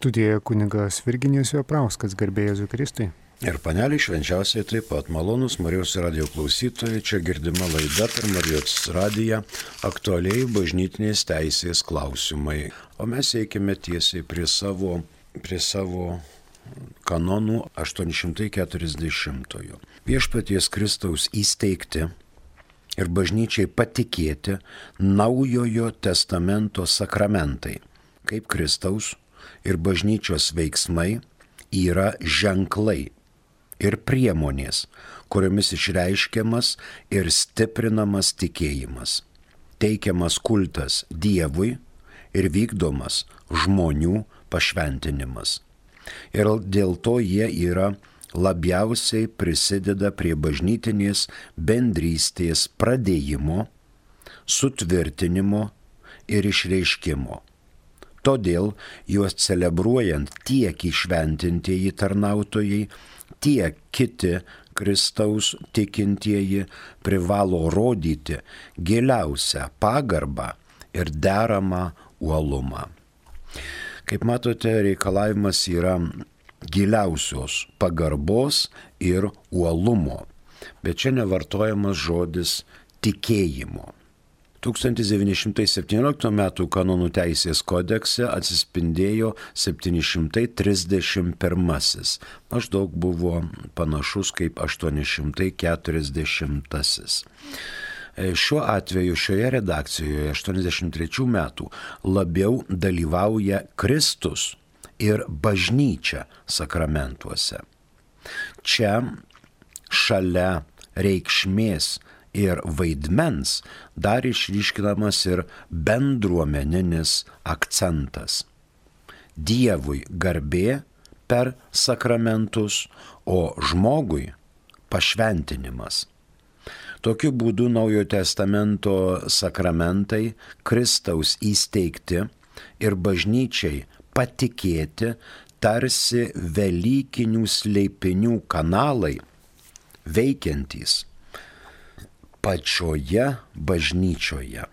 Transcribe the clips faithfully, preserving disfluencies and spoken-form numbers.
Studijoje kunigas Virginijus Joprauskas, garbė Jėzui Kristui. Ir panelį švenčiausiai taip pat malonus Marijos radijo klausytojai, čia girdima laida per Marijos radiją aktualiai bažnytinės teisės klausimai. O mes eikime tiesiai prie savo, prie savo kanonų aštuoni šimtai keturiasdešimtojo. Viešpaties Kristaus įsteigti ir bažnyčiai patikėti Naujojo testamento sakramentai, kaip Kristaus ir bažnyčios veiksmai yra ženklai ir priemonės, kuriomis išreiškiamas ir stiprinamas tikėjimas, teikiamas kultas Dievui ir vykdomas žmonių pašventinimas. Ir dėl to jie yra labiausiai prisideda prie bažnytinės bendrystės pradėjimo, sutvirtinimo ir išreiškimo. Todėl juos celebruojant tiek įšventintieji tarnautojai, tiek kiti Kristaus tikintieji privalo rodyti giliausią pagarbą ir deramą uolumą. Kaip matote, reikalavimas yra giliausios pagarbos ir uolumo, bet čia nevartojamas žodis tikėjimo. tūkstantis devyni šimtai septynioliktų metų kanonų teisės kodekse atsispindėjo septyni šimtai trisdešimt pirmasis, maždaug buvo panašus kaip aštuoni šimtai keturiasdešimtasis. Šiuo atveju šioje redakcijoje aštuoniasdešimt trečių metų labiau dalyvauja Kristus ir bažnyčia sakramentuose. Čia šalia reikšmės ir vaidmens dar išryškinamas ir bendruomeninis akcentas. Dievui garbė per sakramentus, o žmogui pašventinimas. Tokiu būdu Naujojo testamento sakramentai Kristaus įsteigti ir bažnyčiai patikėti tarsi velykinių slėpinių kanalai veikiantys pačioje bažnyčioje.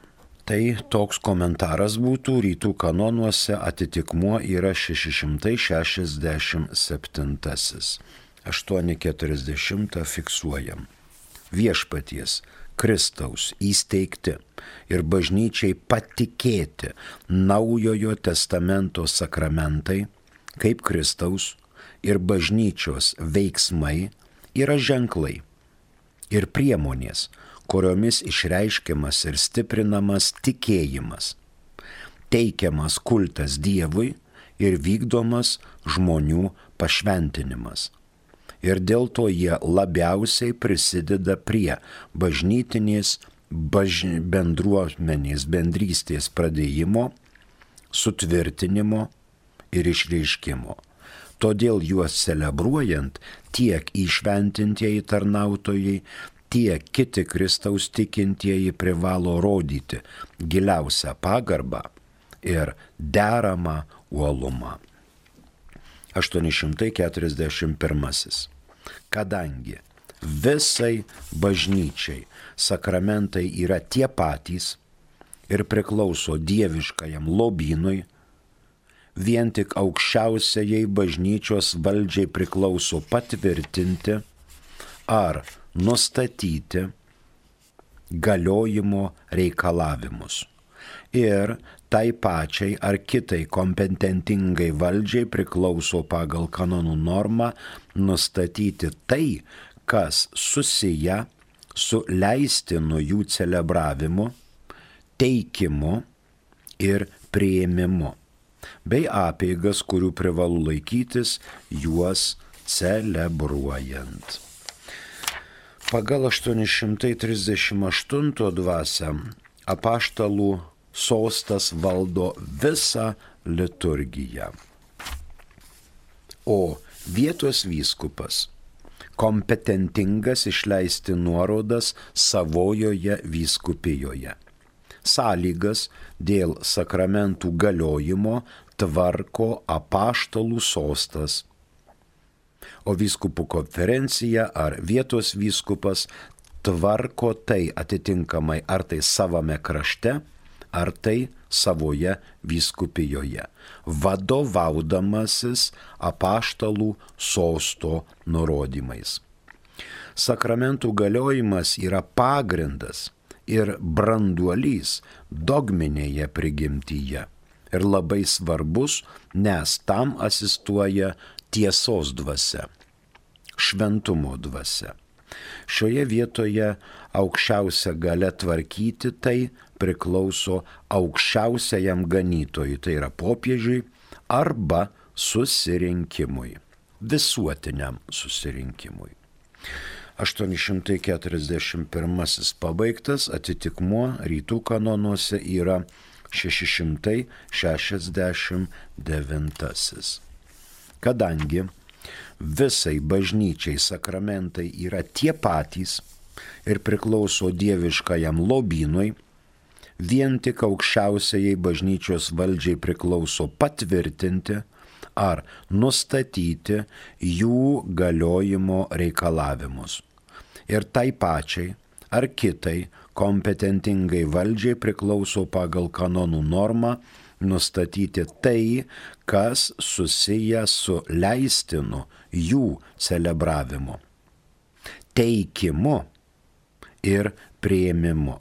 Tai toks komentaras būtų, rytų kanonuose atitikmuo yra šeši šimtai šešiasdešimt septintasis. aštuoni keturiasdešimt fiksuojam. Viešpaties Kristaus įsteigti ir bažnyčiai patikėti Naujojo testamento sakramentai, kaip Kristaus ir bažnyčios veiksmai yra ženklai ir priemonės, kuriomis išreiškiamas ir stiprinamas tikėjimas, teikiamas kultas Dievui ir vykdomas žmonių pašventinimas. Ir dėl to jie labiausiai prisideda prie bažnytinės baž... bendruomenės bendrystės pradėjimo, sutvirtinimo ir išreiškimo. Todėl juos celebruojant tiek įšventintieji tarnautojai, tiek kiti Kristaus tikintieji privalo rodyti giliausią pagarbą ir deramą uolumą. aštuoni šimtai keturiasdešimt pirmasis. Kadangi visai bažnyčiai sakramentai yra tie patys ir priklauso dieviškajam lobynui, vien tik aukščiausiajai bažnyčios valdžiai priklauso patvirtinti ar nustatyti galiojimo reikalavimus. Ir tai pačiai ar kitai kompetentingai valdžiai priklauso pagal kanonų normą nustatyti tai, kas susiję su leistinu jų celebravimu, teikimu ir priėmimu, bei apeigas, kurių privalu laikytis juos celebruojant. Pagal aštuoni šimtai trisdešimt aštuntą dvasią apaštalų sostas valdo visą liturgiją, o vietos vyskupas kompetentingas išleisti nuorodas savojoje vyskupijoje. Sąlygas dėl sakramentų galiojimo tvarko apaštalų sostas, o vyskupų konferencija ar vietos vyskupas tvarko tai atitinkamai ar tai savame krašte, ar tai savoje vyskupijoje, vadovaudamasis apaštalų sosto nurodymais. Sakramentų galiojimas yra pagrindas ir branduolys dogminėje prigimtyje ir labai svarbus, nes tam asistuoja tiesos dvasia, šventumo dvasia. Šioje vietoje aukščiausia galia tvarkyti tai priklauso aukščiausiajam ganytojui, tai yra popiežiui arba susirinkimui, visuotiniam susirinkimui. aštuoni šimtai keturiasdešimt pirmasis pabaigtas, atitikmuo rytų kanonuose yra šeši šimtai šešiasdešimt devintasis. Kadangi visai bažnyčiai sakramentai yra tie patys ir priklauso dieviškajam lobynui, vien tik aukščiausiai bažnyčios valdžiai priklauso patvirtinti ar nustatyti jų galiojimo reikalavimus. Ir tai pačiai ar kitai kompetentingai valdžiai priklauso pagal kanonų normą nustatyti tai, kas susiję su leistinu jų celebravimu, teikimu ir priėmimu,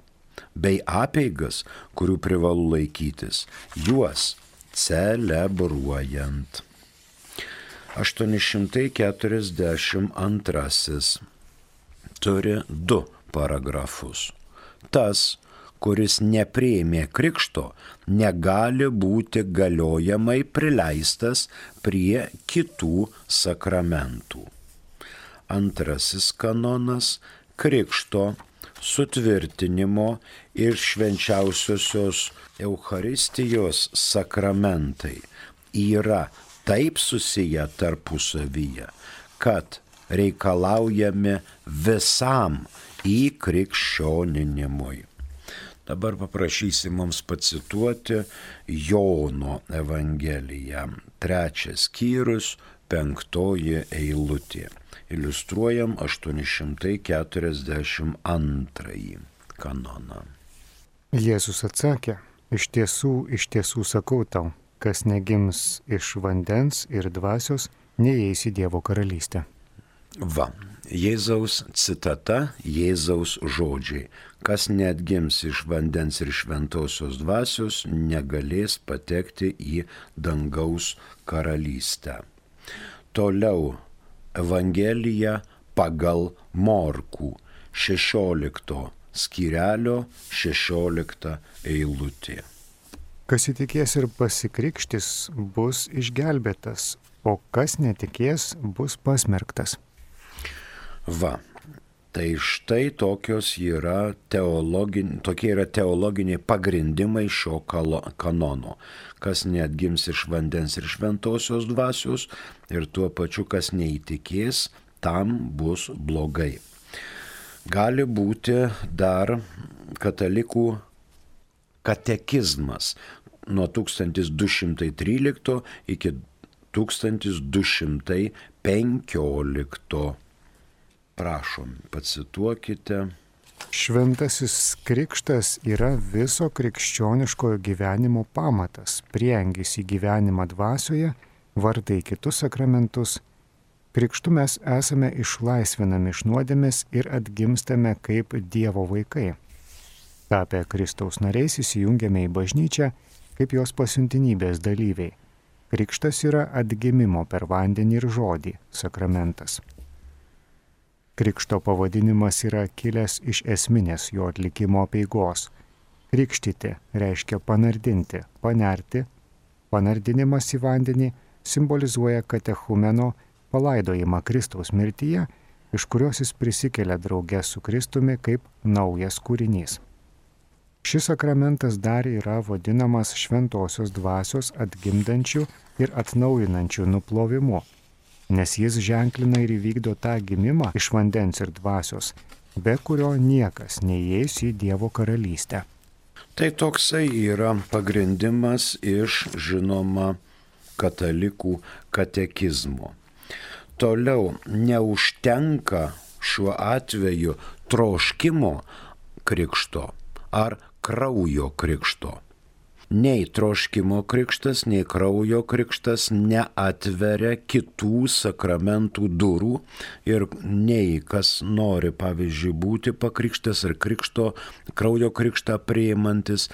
bei apeigas, kurių privalu laikytis, juos celebruojant. aštuoni šimtai keturiasdešimt antrasis turi du paragrafus. Tas, kuris nepriėmė krikšto, negali būti galiojamai prileistas prie kitų sakramentų. Antrasis kanonas – krikšto, sutvirtinimo ir švenčiausiosios Eucharistijos sakramentai yra taip susiję tarpusavyje, kad reikalaujami visam įkrikščioninimui. Dabar paprašysim mums pacituoti Jono Evangeliją, trečias skyrius, penktoji eilutė. Iliustruojam aštuoni šimtai keturiasdešimt antrąjį kanoną. Jėzus atsakė, iš tiesų, iš tiesų sakau tau, kas negims iš vandens ir dvasios, neįeis į Dievo karalystę. Va, Jėzaus citata, Jėzaus žodžiai. Kas neatgims iš vandens ir šventosios dvasios, negalės patekti į dangaus karalystę. Toliau Evangelija pagal Morkų, šešiolikto skyrelio, šešiolikta eilutė. Kas įtikės ir pasikrikštis, bus išgelbėtas, o kas netikės, bus pasmerktas. Va, tai štai tokios yra teologin, tokie yra teologiniai pagrindimai šio kanono. Kas neatgims iš vandens ir šventosios dvasios ir tuo pačiu, kas neįtikės, tam bus blogai. Gali būti dar katalikų katekizmas nuo tūkstantis du šimtai trylikto iki tūkstantis du šimtai penkiolikto. Prašom, pacituokite. Šventasis krikštas yra viso krikščioniškojo gyvenimo pamatas, prieangis į gyvenimą dvasioje, vardai kitus sakramentus. Krikštu mes esame išlaisvinami iš nuodėmės ir atgimstame kaip Dievo vaikai. Tapę Kristaus nariais įsijungiame į bažnyčią kaip jos pasiuntinybės dalyviai. Krikštas yra atgimimo per vandenį ir žodį sakramentas. Krikšto pavadinimas yra kilęs iš esminės jo atlikimo apeigos. Krikštyti reiškia panardinti, panerti. Panardinimas į vandenį simbolizuoja katechumeno palaidojimą Kristaus mirtyje, iš kurios jis prisikelia drauge su Kristumi kaip naujas kūrinys. Šis sakramentas dar yra vadinamas šventosios dvasios atgimdančių ir atnaujinančių nuplovimu, nes jis ženklina ir įvykdo tą gimimą iš vandens ir dvasios, be kurio niekas neįeis į Dievo karalystę. Tai toksai yra pagrindimas iš, žinoma, katalikų katekizmo. Toliau neužtenka šiuo atveju troškimo krikšto ar kraujo krikšto. Nei troškimo krikštas, nei kraujo krikštas neatveria kitų sakramentų durų ir nei kas nori, pavyzdžiui, būti pakrikštas ar krikšto, kraujo krikštą priimantis,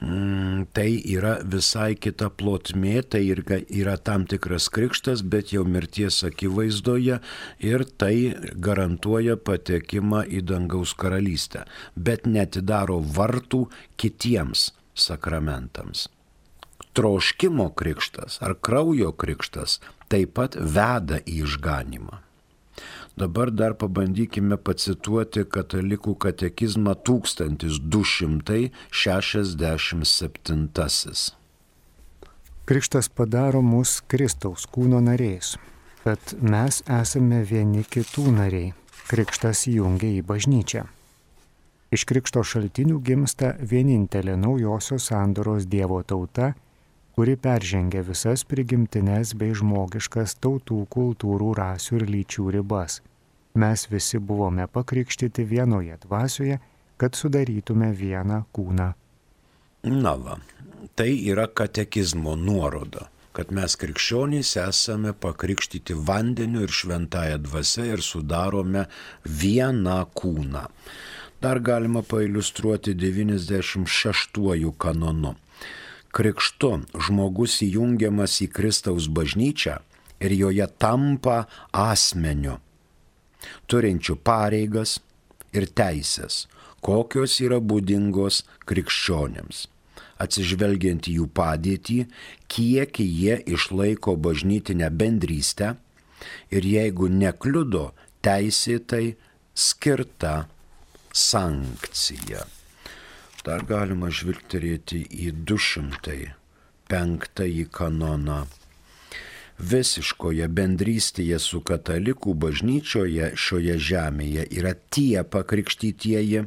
mm, tai yra visai kita plotmė, tai yra, yra tam tikras krikštas, bet jau mirties akivaizdoje ir tai garantuoja patekimą į dangaus karalystę, bet neatidaro vartų kitiems sakramentams. Troškimo krikštas ar kraujo krikštas taip pat veda į išganymą. Dabar dar pabandykime pacituoti Katalikų katekizmą tūkstantis du šimtai šešiasdešimt septyni. Krikštas padaro mus Kristaus kūno nariais, bet mes esame vieni kitų nariai. Krikštas jungia į bažnyčią. Iš krikšto šaltinių gimsta vienintelė naujosios sandoros Dievo tauta, kuri peržengia visas prigimtines bei žmogiškas tautų, kultūrų, rasių ir lyčių ribas. Mes visi buvome pakrikštyti vienoje dvasioje, kad sudarytume vieną kūną. Na va, tai yra katekizmo nuoroda, kad mes krikščionys esame pakrikštyti vandeniu ir šventąja dvasia ir sudarome vieną kūną. Dar galima pailiustruoti devyniasdešimt šeštuoju kanonu. Krikštu žmogus įjungiamas į Kristaus bažnyčią ir joje tampa asmeniu, turinčiu pareigas ir teisės, kokios yra būdingos krikščionėms. Atsižvelgiant į jų padėtį, kiek jie išlaiko bažnytinę bendrystę ir jeigu nekliudo teisėtai skirta sankcija. Dar galima žvilgterėti į du šimtai penktąjį kanoną. Visiškoje bendrystėje su katalikų bažnyčioje šioje žemėje yra tie pakrikštytieji,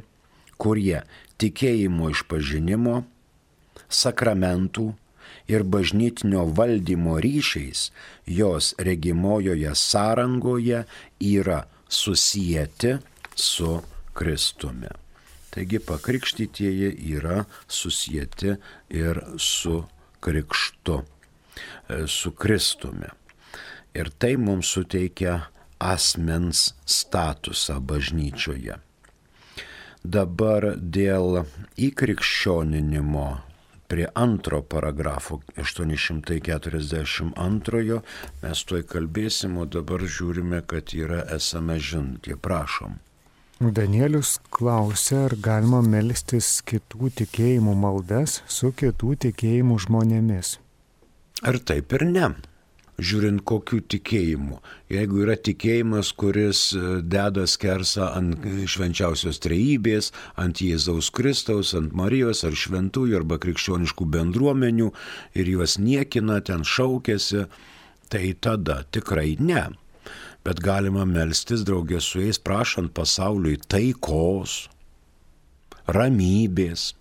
kurie tikėjimo išpažinimo, sakramentų ir bažnytinio valdymo ryšiais jos regimojoje sąrangoje yra susijęti su Kristumi. Taigi pakrikštytieji yra susijęti ir su krikštu, su Kristumi. Ir tai mums suteikia asmens statusą bažnyčioje. Dabar dėl įkrikščioninimo prie antro paragrafo aštuoni šimtai keturiasdešimt antrojo mes tuoj kalbėsim, o dabar žiūrime, kad yra esame žinutė. Prašom. Danielius klausia, ar galima melstis kitų tikėjimų maldas su kitų tikėjimų žmonėmis. Ar taip ir ne? Žiūrint kokių tikėjimų. Jeigu yra tikėjimas, kuris deda skersą ant švenčiausios trejybės, ant Jėzaus Kristaus, ant Marijos ar šventųjų arba krikščioniškų bendruomenių ir juos niekina, ten šaukėsi, tai tada tikrai ne. Bet galima melstis draugė su jais, prašant pasauliui taikos, ramybės,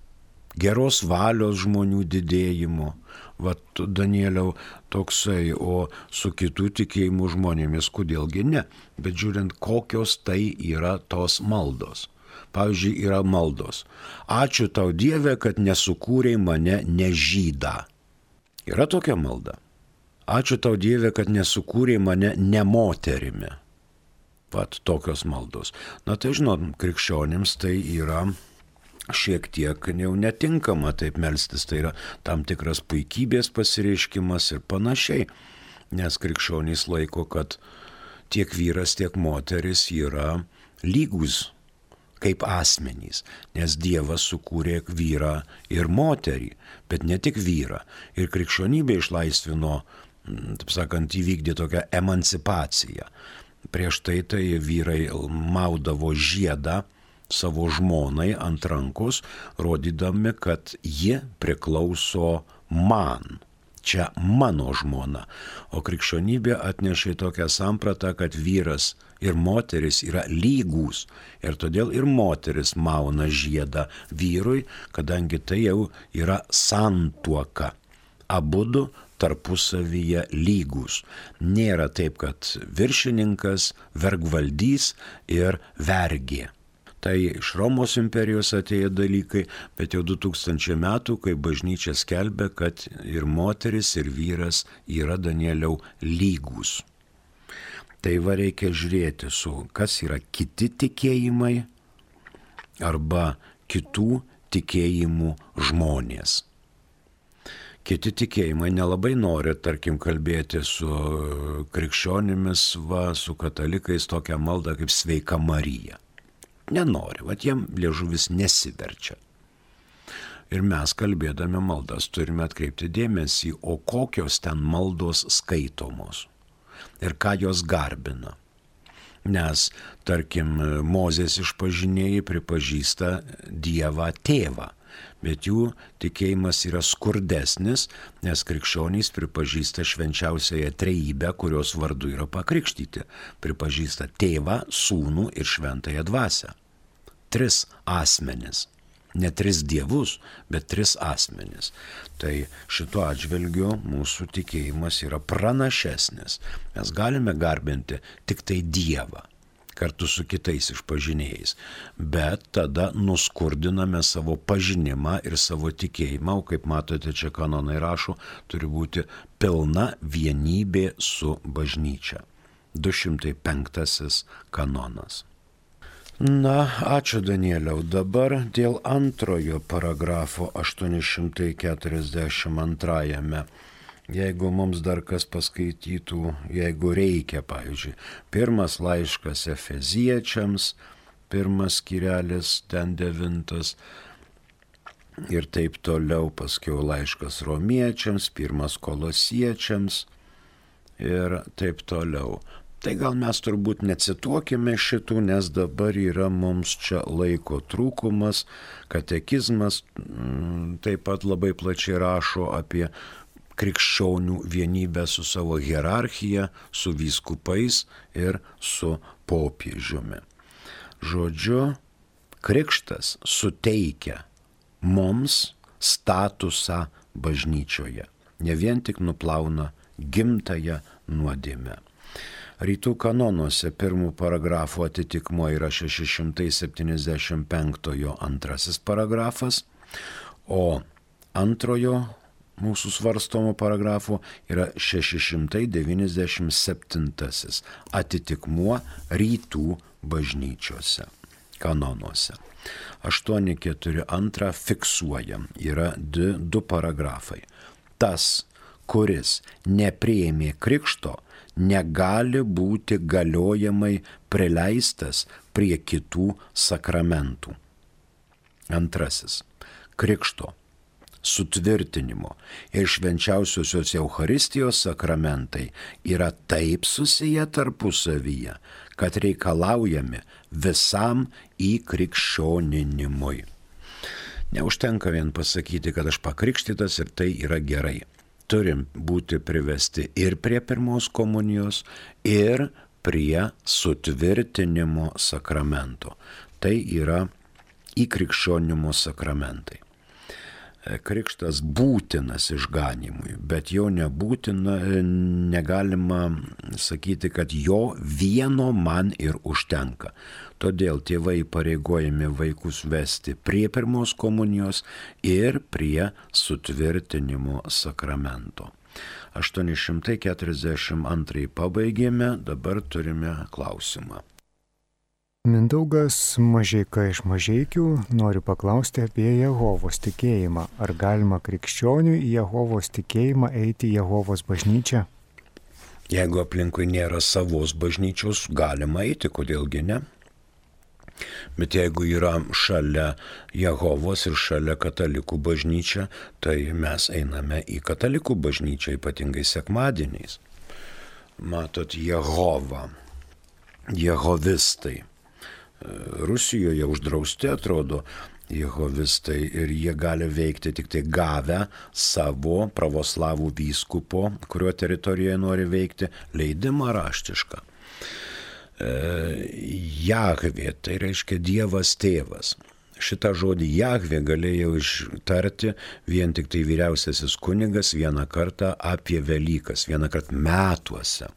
geros valios žmonių didėjimo. Vat Danieliau toksai, o su kitų tikėjimų žmonėmis kodėlgi ne. Bet žiūrint, kokios tai yra tos maldos. Pavyzdžiui, yra maldos. Ačiū tau Dieve, kad nesukūrei mane nežydą. Yra tokia malda. Ačiū tau Dieve, kad nesukūrė mane ne moterimi. Vat tokios maldos. Na tai žinot, krikščionims tai yra šiek tiek jau netinkama taip melstis. Tai yra tam tikras puikybės pasireiškimas ir panašiai. Nes krikščionys laiko, kad tiek vyras, tiek moteris yra lygus kaip asmenys. Nes Dievas sukūrė vyrą ir moterį, bet ne tik vyrą. Ir krikščionybė išlaisvino, taip sakant, įvykdė tokią emancipaciją. Prieš tai tai vyrai maudavo žiedą savo žmonai ant rankos, rodydami, kad ji priklauso man. Čia mano žmona. O krikščionybė atnešė tokią sampratą, kad vyras ir moteris yra lygūs. Ir todėl ir moteris mauna žiedą vyrui, kadangi tai jau yra santuoka. Abudu tarpusavyje lygūs. Nėra taip, kad viršininkas, vergvaldys ir vergė. Tai iš Romos imperijos atėjo dalykai, bet jau du tūkstančiai metų, kai bažnyčia skelbia, kad ir moteris, ir vyras yra, Danieliau, lygūs. Tai va reikia žiūrėti su, kas yra kiti tikėjimai arba kitų tikėjimų žmonės. Kiti tikėjimai nelabai nori, tarkim, kalbėti su krikščionimis, va, su katalikais tokią maldą kaip Sveika Marija. Nenori, va, jiem liežuvis nesiverčia. Ir mes, kalbėdami maldas, turime atkreipti dėmesį, o kokios ten maldos skaitomos ir ką jos garbina. Nes, tarkim, Mozės išpažinėjai pripažįsta Dievą tėvą, bet jų tikėjimas yra skurdesnis, nes krikščionys pripažįsta švenčiausiąją trejybę, kurios vardu yra pakrikštyti. Pripažįsta tėvą, sūnų ir šventąją dvasią. Tris asmenis. Ne tris dievus, bet tris asmenis. Tai šituo atžvilgiu mūsų tikėjimas yra pranašesnis. Mes galime garbinti tik tai Dievą kartu su kitais išpažinėjais, bet tada nuskurdiname savo pažinimą ir savo tikėjimą, o kaip matote, čia kanonai rašo, turi būti pilna vienybė su bažnyčia. du šimtai penktasis kanonas. Na, ačiū Danieliau. Dabar dėl antrojo paragrafo aštuoni šimtai keturiasdešimt antrajame. Jeigu mums dar kas paskaitytų, jeigu reikia, pavyzdžiui, pirmas laiškas Efeziečiams, pirmas skyrelis, ten devintas, ir taip toliau, paskiau laiškas Romiečiams, pirmas Kolosiečiams ir taip toliau. Tai gal mes turbūt necituokime šitų, nes dabar yra mums čia laiko trūkumas, katekizmas taip pat labai plačiai rašo apie krikščionių vienybę su savo hierarchija, su vyskupais ir su popiežiumi. Žodžiu, krikštas suteikia mums statusą bažnyčioje, ne vien tik nuplauna gimtąją nuodėmę. Rytų kanonuose pirmų paragrafų atitikmuo yra šeši šimtai septyniasdešimt penktojo antrasis paragrafas, o antrojo mūsų svarstomo paragrafo yra šeši šimtai devyniasdešimt septintasis atitikmuo rytų bažnyčiose, kanonuose. aštuoni keturi antrą fiksuojam, yra du, du paragrafai. Tas, kuris nepriėmė krikšto, negali būti galiojamai prileistas prie kitų sakramentų. Antrasis. Krikšto, sutvirtinimo ir švenčiausiosios Eucharistijos sakramentai yra taip susiję tarpusavyje, kad reikalaujami visam įkrikščioninimui. Neužtenka vien pasakyti, kad aš pakrikštytas ir tai yra gerai. Turim būti privesti ir prie pirmos komunijos, ir prie sutvirtinimo sakramento. Tai yra įkrikščionimo sakramentai. Krikštas būtinas išganymui, bet jo nebūtina, negalima sakyti, kad jo vieno man ir užtenka. Todėl tėvai pareigojami vaikus vesti prie pirmos komunijos ir prie sutvirtinimo sakramento. aštuoni šimtai keturiasdešimt antrąjį pabaigėme, dabar turime klausimą. Mindaugas Mažeika iš Mažeikių nori paklausti apie Jehovos tikėjimą. Ar galima krikščioniui į Jehovos tikėjimą eiti į Jehovos bažnyčią? Jeigu aplinkui nėra savos bažnyčios, galima eiti, kodėlgi ne? Bet jeigu yra šalia Jehovos ir šalia katalikų bažnyčia, tai mes einame į katalikų bažnyčią, ypatingai sekmadieniais. Matot, Jehova, jehovistai. Rusijoje uždrausti atrodo jehovistai ir jie gali veikti tik tai gavę savo pravoslavų vyskupo, kurio teritorijoje nori veikti, leidimą raštišką. E, Jahvė, tai reiškia Dievas tėvas. Šitą žodį Jahvė galėjo ištarti vien tik tai vyriausiasis kunigas vieną kartą apie Velykas, vieną kartą metuose.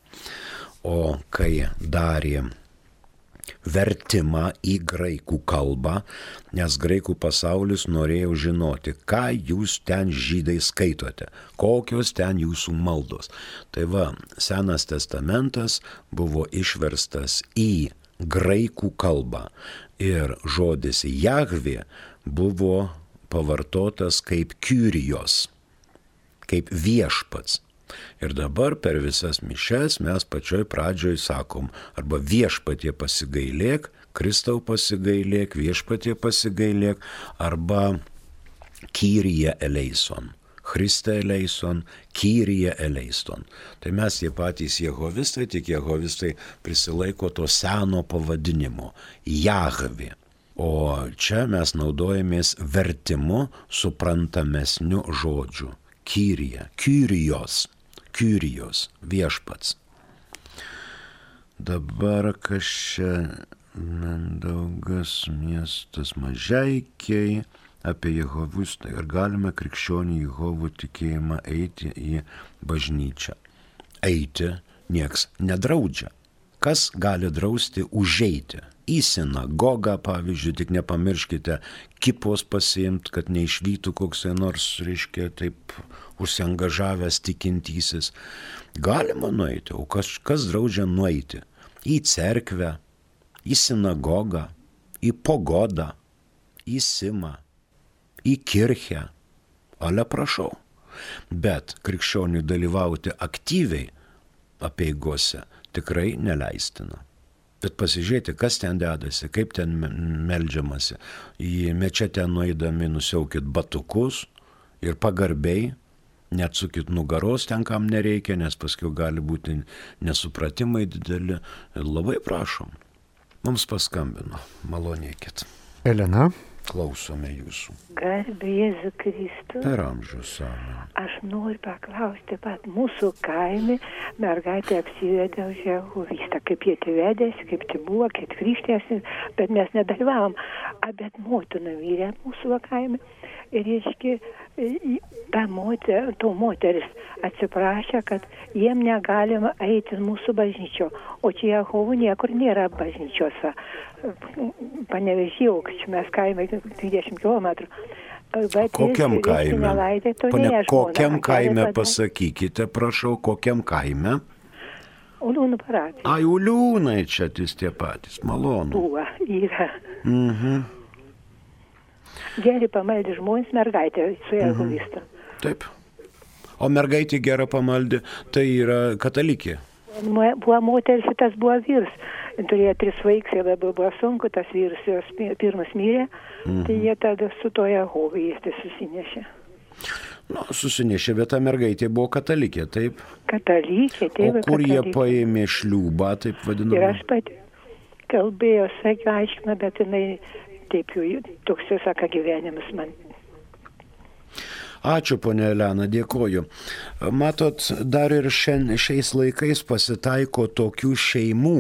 O kai darė vertimą į graikų kalbą, nes graikų pasaulis norėjo žinoti, ką jūs ten žydai skaitote, kokios ten jūsų maldos. Tai va, Senas testamentas buvo išverstas į graikų kalbą ir žodis Jahvė buvo pavartotas kaip Kyrijos, kaip viešpats. Ir dabar per visas mišes mes pačioj pradžioj sakom, arba viešpatie pasigailėk, Kristau pasigailėk, viešpatie pasigailėk, arba Kyrie eleison, Christe eleison, Kyrie eleison. Tai mes tie patys jehovistai, tik jehovistai prisilaiko to seno pavadinimo Jahvė. O čia mes naudojamės vertimu suprantamesniu žodžiu. Kyrie, Kyrijos. Kyrijos, viešpats. Dabar kas čia Mindaugas, miestas Mažeikiai, apie Jehovistą. Ir galime krikščionių Jehovų tikėjimą eiti į bažnyčią. Eiti nieks nedraudžia. Kas gali drausti užeiti? Į sinagogą, pavyzdžiui, tik nepamirškite kipos pasiimti, kad neišvytų koks nors, reiškia, taip užsiangažavęs tikintysis. Galima nueiti, o kas, kas draudžia nueiti? Į cerkvę, į sinagogą, į pogodą, į simą, į kirchę. Ale prašau. Bet krikščioniui dalyvauti aktyviai apeigose tikrai neleistina. Bet pasižiūrėti, kas ten dedasi, kaip ten meldžiamasi. Į mečetę nueidami nusiaukit batukus ir pagarbiai, neatsukit nugaros ten, kam nereikia, nes paskui gali būti nesupratimai dideli. Labai prašom. Mums paskambino. Malonėkit. Elena. Klausome jūsų. Garbė Jėzų Kristų. Per amžius amen. Aš noriu paklausti, pat mūsų kaime mergaitė apsivedė už Jehovistą, kaip jie vedėsi, kaip tai buvo, kaip krikštėsi, bet mes nedalyvavom. A, bet motina vyrė mūsų kaime. Ir reiškia, ta moter, to moteris atsiprašė, kad jiem negalima eiti mūsų bažnyčio, o čia Jehovų niekur nėra bažnyčiose. Panevėžyje, čia mes kaime dvidešimt kilometrų. Bet kokiam jis, kaime? Nelaidė, Pane, kokiam kaime pasakykite, prašau, kokiam kaime? Uliūnų parapija. Ai, Uliūnai čia tis tie patys, malonu. Buvo, yra. Mhm. Geri pamaldė žmonės mergaitė su Jehovista. Mhm. Taip. O mergaitė gerą pamaldė, tai yra katalikė. Buvo moteris, tas buvo vyrs. Turėjo tris vaikus, labai buvo sunku, tas vyras jos pirmas mirė, mhm. Tai jie tada su to Jehovistą susinešė. Nu, susinešė, bet ta mergaitė buvo katalikė, taip? Katalikė, taip. O kur katalikė. Jie paėmė šliūbą, taip vadinamą? Ir aš pati kalbėjau, sakiau, aiškina, bet jinai taip jau, toks jau sako gyvenimas man. Ačiū, ponia Elena, dėkoju. Matot, dar ir šiandien, šiais laikais pasitaiko tokių šeimų,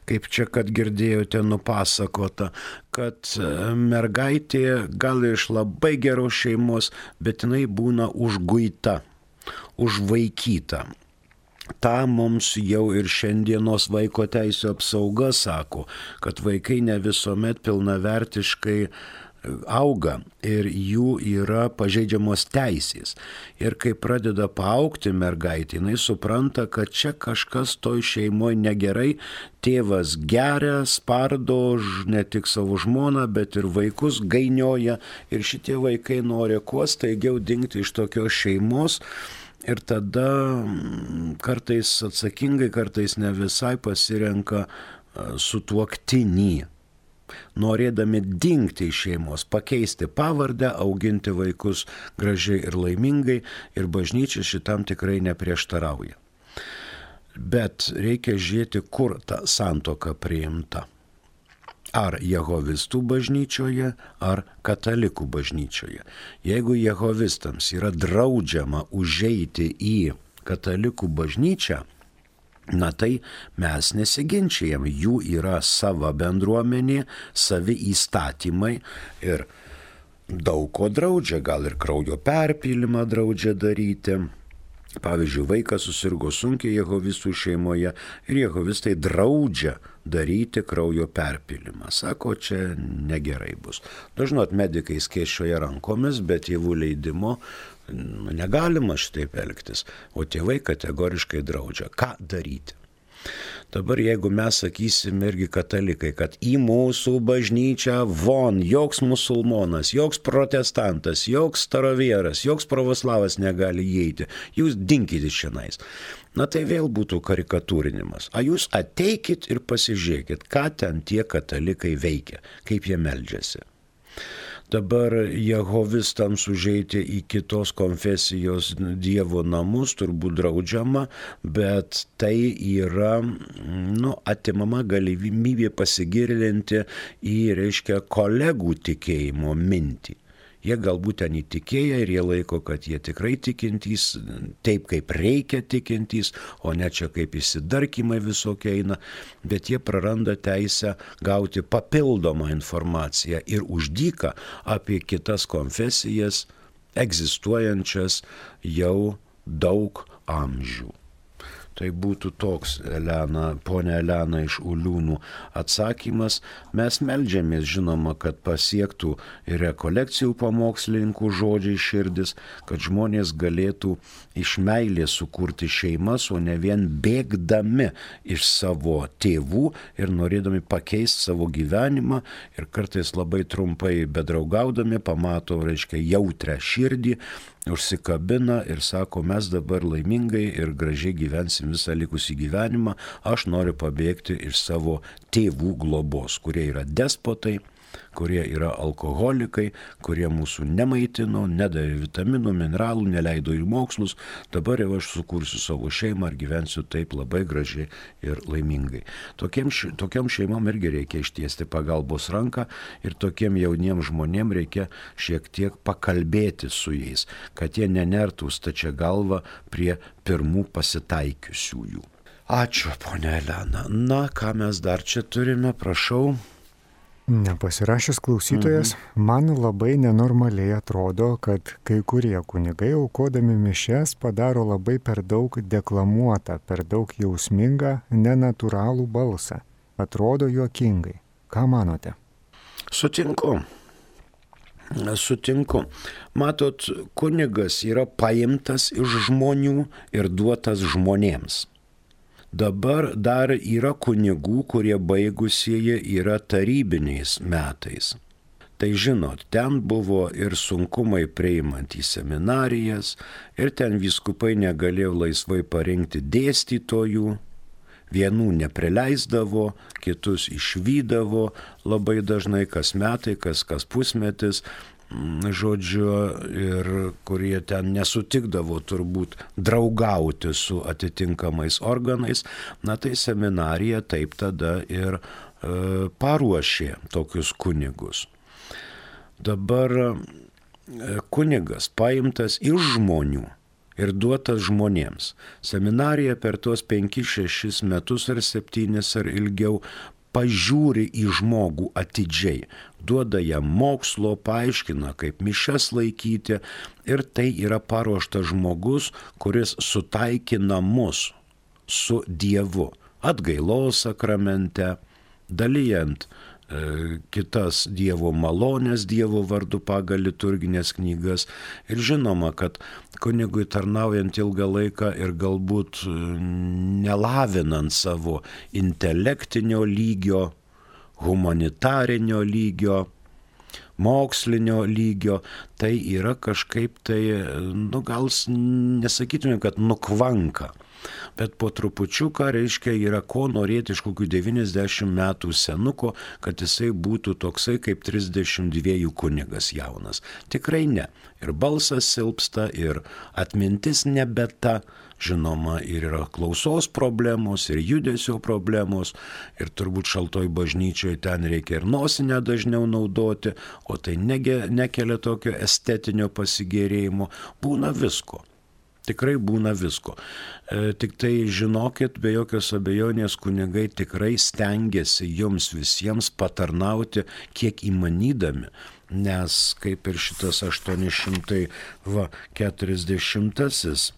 kaip čia, kad girdėjote nupasakota, kad mergaitė gal iš labai geros šeimos, bet jinai būna užguita, užvaikyta. Ta mums jau ir šiandienos vaiko teisų apsauga sako, kad vaikai ne visuomet pilnavertiškai auga ir jų yra pažeidžiamos teisės. Ir kai pradeda paaugti mergaitė, jinai supranta, kad čia kažkas toj šeimoje negerai, tėvas geria, spardo ne tik savo žmoną, bet ir vaikus gainioja ir šitie vaikai nori kuo staigiau dingti iš tokios šeimos. Ir tada kartais atsakingai, kartais ne visai pasirenka sutuoktinį, norėdami dingti iš šeimos, pakeisti pavardę, auginti vaikus gražiai ir laimingai, ir bažnyčia šitam tikrai neprieštarauja. Bet reikia žiūrėti, kur ta santuoka priimta. Ar jehovistų bažnyčioje, ar katalikų bažnyčioje. Jeigu jehovistams yra draudžiama užeiti į katalikų bažnyčią, na tai mes nesiginčijam, jų yra sava bendruomenė, savi įstatymai ir daug ko draudžia, gal ir kraujo perpylimą draudžia daryti. Pavyzdžiui, vaikas susirgo sunkiai jehovistų šeimoje ir jehovistai draudžia daryti kraujo perpilimą. Sako, čia negerai bus. Dažnai medikai skėsčioja rankomis, bet tėvų leidimo nu, negalima šitaip elgtis, o tėvai kategoriškai draudžia. Ką daryti? Dabar jeigu mes sakysim irgi katalikai, kad į mūsų bažnyčią von joks musulmonas, joks protestantas, joks starovieras, joks pravoslavas negali įeiti, jūs dinkit iš šianais. Na tai vėl būtų karikatūrinimas. A jūs ateikit ir pasižiūrėkit, ką ten tie katalikai veikia, kaip jie meldžiasi. Dabar jehovistams užeiti į kitos konfesijos dievo namus turbūt draudžiama, bet tai yra nu, atimama galimybė pasigilinti į, reiškia, kolegų tikėjimo mintį. Jie galbūt ten įtikėję ir jie laiko, kad jie tikrai tikintys, taip kaip reikia tikintys, o ne čia kaip įsidarkimai visokie eina, bet jie praranda teisę gauti papildomą informaciją ir už dyką apie kitas konfesijas egzistuojančias jau daug amžių. Tai būtų toks, Elena, ponia Elena iš Uliūnų atsakymas. Mes meldžiamės, žinoma, kad pasiektų ir rekolekcijų pamokslininkų žodžiai širdis, kad žmonės galėtų iš meilės sukurti šeimas, o ne vien bėgdami iš savo tėvų ir norėdami pakeisti savo gyvenimą ir kartais labai trumpai bedraugaudami pamato, reiškia, jautrę širdį, užsikabina ir sako, mes dabar laimingai ir gražiai gyvensim visą likusį gyvenimą, aš noriu pabėgti iš savo tėvų globos, kurie yra despotai, kurie yra alkoholikai, kurie mūsų nemaitino, nedavė vitaminų, mineralų, neleido į mokslus, dabar jau aš sukursiu savo šeimą ir gyvensiu taip labai gražiai ir laimingai. Tokiem, tokiam šeimom irgi reikia ištiesti pagalbos ranką ir tokiem jauniem žmonėm reikia šiek tiek pakalbėti su jais, kad jie nenertų stačia galva prie pirmų pasitaikiusiųjų. Ačiū, ponia Elena. Na, ką mes dar čia turime, prašau. Nepasirašęs klausytojas, mhm. man labai nenormaliai atrodo, kad kai kurie kunigai aukodami mišias padaro labai per daug deklamuotą, per daug jausmingą, nenatūralų balsą. Atrodo juokingai. Ką manote? Sutinku. Sutinku. Matot, kunigas yra paimtas iš žmonių ir duotas žmonėms. Dabar dar yra kunigų, kurie baigusieji yra tarybiniais metais. Tai žinot, ten buvo ir sunkumai priimant į seminarijas, ir ten vyskupai negalėjo laisvai parinkti dėstytojų, vienų neprileisdavo, kitus išvydavo labai dažnai kas metai, kas kas pusmetis, žodžiu, ir kurie ten nesutikdavo turbūt draugauti su atitinkamais organais, na tai seminarija taip tada ir e, paruošė tokius kunigus. Dabar e, kunigas paimtas iš žmonių ir duotas žmonėms. Seminarija per tuos penkis šešis metus ar septynis ar ilgiau pažiūri į žmogų atidžiai, duoda jam mokslo, paaiškina, kaip mišias laikyti ir tai yra paruoštas žmogus, kuris sutaikina mus su Dievu, atgailos sakramente, dalijant e, kitas Dievo malonės Dievo vardu pagal liturginės knygas ir žinoma, kad kunigui tarnaujant ilgą laiką ir galbūt nelavinant savo intelektinio lygio, humanitarinio lygio, mokslinio lygio, tai yra kažkaip tai, nu gal nesakytume, kad nukvanka. Bet po trupučiuką, reiškia, yra ko norėti iš kokių devyniasdešimt metų senuko, kad jisai būtų toksai kaip trisdešimt dviejų kunigas jaunas. Tikrai ne. Ir balsas silpsta, ir atmintis nebe ta, žinoma, ir yra klausos problemos, ir judesio problemos, ir turbūt šaltoj bažnyčioje ten reikia ir nosinę dažniau naudoti, o tai nege, nekelia tokio estetinio pasigėrėjimo. Būna visko. Tikrai būna visko. E, tik tai žinokit, be jokios abejonės kunigai tikrai stengiasi jums visiems patarnauti kiek įmanydami, nes kaip ir šitas aštuoni šimtai keturiasdešimtasis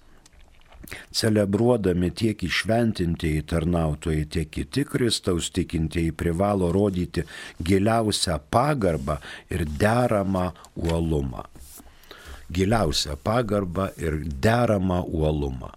Celebruodami tiek įšventintieji tarnautojai, tiek kiti Kristaus tikintieji privalo rodyti giliausią pagarbą ir deramą uolumą. Giliausią pagarbą ir deramą uolumą.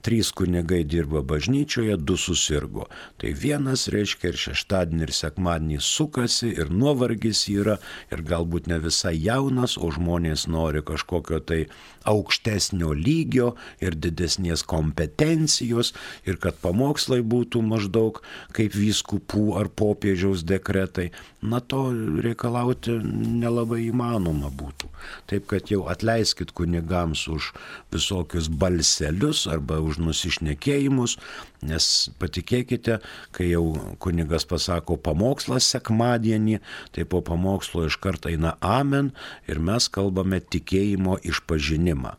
Trys kunigai dirba bažnyčioje, du susirgo. Tai vienas reiškia ir šeštadienį ir sekmadienį sukasi ir nuovargis yra ir galbūt ne visai jaunas, o žmonės nori kažkokio tai aukštesnio lygio ir didesnės kompetencijos ir kad pamokslai būtų maždaug kaip vyskupų ar popiežiaus dekretai. Na to reikalauti nelabai įmanoma būtų. Taip kad jau atleiskit kunigams už visokius balselius arba už nusišnekėjimus, nes patikėkite, kai jau kunigas pasako pamokslas sekmadienį, tai po pamokslo iš karto eina amen ir mes kalbame tikėjimo išpažinimą,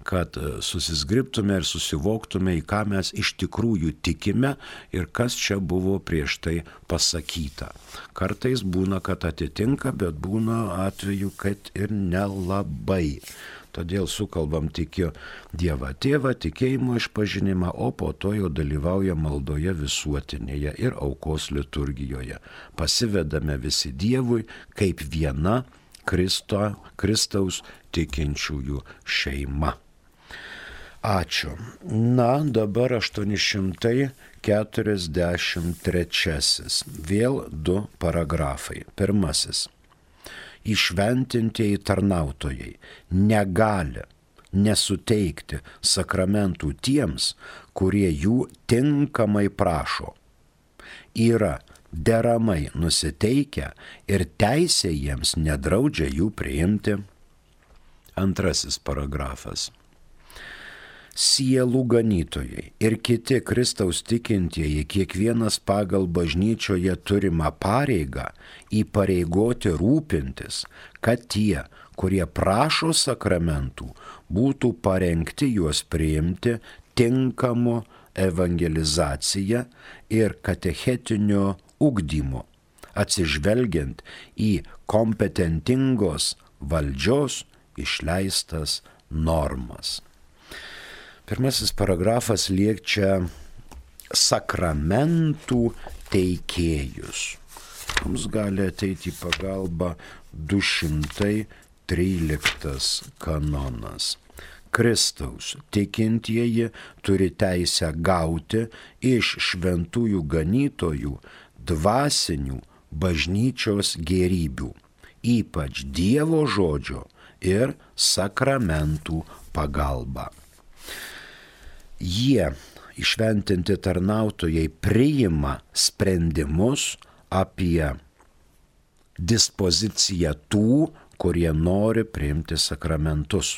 kad susizgribtume ir susivoktume, į ką mes iš tikrųjų tikime ir kas čia buvo prieš tai pasakyta. Kartais būna, kad atitinka, bet būna atveju, kad ir nelabai. Todėl sukalbam tikiu Dievą Tėvą, tikėjimo išpažinimą, o po to jau dalyvauja maldoje visuotinėje ir aukos liturgijoje. Pasivedame visi Dievui kaip viena Kristo, Kristaus tikinčiųjų šeima. Ačiū. Na, dabar aštuoni šimtai keturiasdešimt trečiasis. Vėl du paragrafai. Pirmasis. Įšventintieji tarnautojai negali nesuteikti sakramentų tiems, kurie jų tinkamai prašo. Yra deramai nusiteikę ir teisė jiems nedraudžia jų priimti. Antrasis paragrafas. Sielų ganytojai ir kiti Kristaus tikintieji kiekvienas pagal bažnyčioje turimą pareigą įpareigoti rūpintis, kad tie, kurie prašo sakramentų, būtų parengti juos priimti tinkamu evangelizacija ir katechetinio ugdymu, atsižvelgiant į kompetentingos valdžios išleistas normas. Pirmasis paragrafas liečia sakramentų teikėjus. Mums gali ateiti į pagalbą du šimtai tryliktas kanonas. Kristaus tikintieji turi teisę gauti iš šventųjų ganytojų dvasinių bažnyčios gėrybių, ypač Dievo žodžio ir sakramentų pagalba. Jie, įšventinti tarnautojai, priima sprendimus apie dispoziciją tų, kurie nori priimti sakramentus.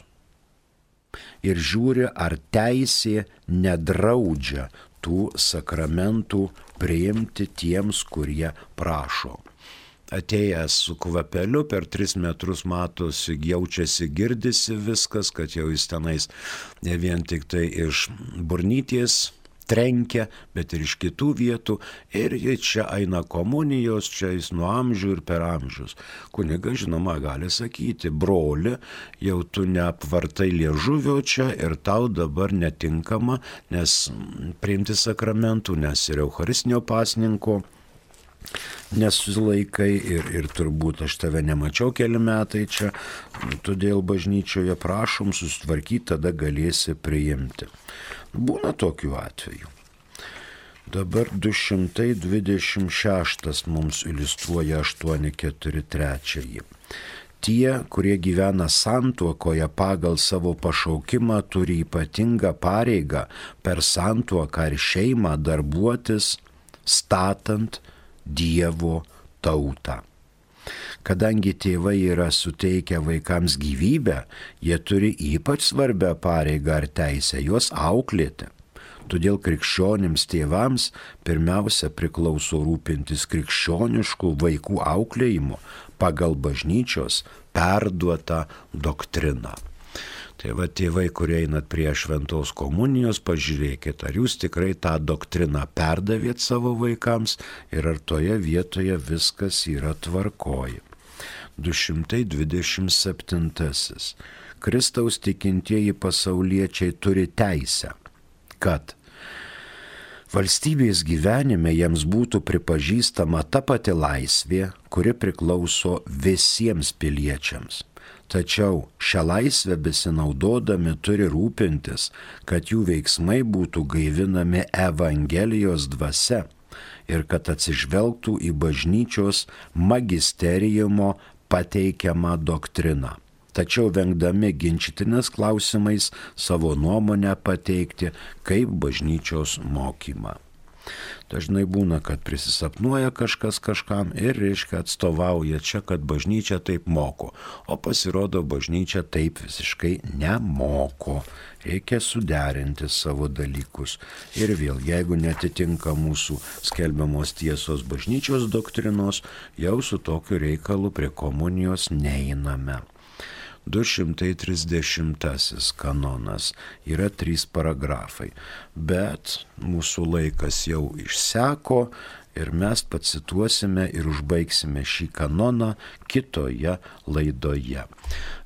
Ir žiūri, ar teisė nedraudžia tų sakramentų priimti tiems, kurie prašo. Atėjęs su kvapeliu per tris metrus matosi, jaučiasi, girdisi viskas, kad jau jis tenais ne vien tik tai iš burnyties trenkia, bet ir iš kitų vietų. Ir čia eina komunijos, čia jis nuo amžių ir per amžius. Kunigas, žinoma, gali sakyti, broli, jau tu neapvartai liežuvio čia ir tau dabar netinkama, nes priimti sakramentų, nes ir eucharistinio pasninko nesulaikai ir, ir turbūt aš tave nemačiau keli metai čia, todėl bažnyčioje prašom susitvarkyti, tada galėsi priimti. Būna tokių atvejų. Dabar du šimtai dvidešimt šeštas mums iliustruoja aštuoni keturi trys. Tie, kurie gyvena santuokoje pagal savo pašaukimą, turi ypatingą pareigą per santuoką ir šeimą darbuotis, statant Dievo tautą. Kadangi tėvai yra suteikę vaikams gyvybę, jie turi ypač svarbią pareigą ar teisę juos auklėti. Todėl krikščionims tėvams pirmiausia priklauso rūpintis krikščioniškų vaikų auklėjimu pagal bažnyčios perduotą doktriną. Tai va, tėvai, kurie einat prie šventos komunijos, pažiūrėkit, ar jūs tikrai tą doktriną perdavėt savo vaikams ir ar toje vietoje viskas yra tvarkoji. du šimtai dvidešimt septintasis. Kristaus tikintieji pasauliečiai turi teisę kad valstybės gyvenime jiems būtų pripažįstama ta pati laisvė, kuri priklauso visiems piliečiams. Tačiau šią laisvę besinaudodami turi rūpintis, kad jų veiksmai būtų gaivinami Evangelijos dvasia ir kad atsižvelgtų į bažnyčios magisteriumo pateikiamą doktriną. Tačiau vengdami ginčytinės klausimais savo nuomonę pateikti kaip bažnyčios mokymą. Dažnai būna, kad prisisapnuoja kažkas kažkam ir reiškia atstovauja čia, kad bažnyčia taip moko, o pasirodo bažnyčia taip visiškai nemoko. Reikia suderinti savo dalykus. Ir vėl, jeigu netitinka mūsų skelbiamos tiesos bažnyčios doktrinos, jau su tokiu reikalu prie komunijos neiname. du šimtai trisdešimtasis kanonas yra trys paragrafai, bet mūsų laikas jau išseko ir mes pacituosime ir užbaigsime šį kanoną kitoje laidoje.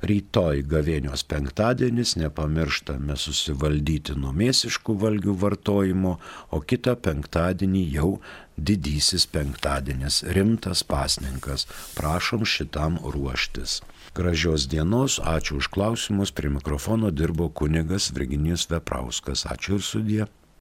Rytoj gavėnios penktadienis, nepamirštame susivaldyti nuo mėsiškų valgių vartojimo, o kitą penktadienį jau didysis penktadienis, rimtas pasninkas. Prašom šitam ruoštis. Gražios dienos, ačiū už klausimus, prie mikrofono dirbo kunigas Virginijus Veprauskas. Ačiū ir sudie.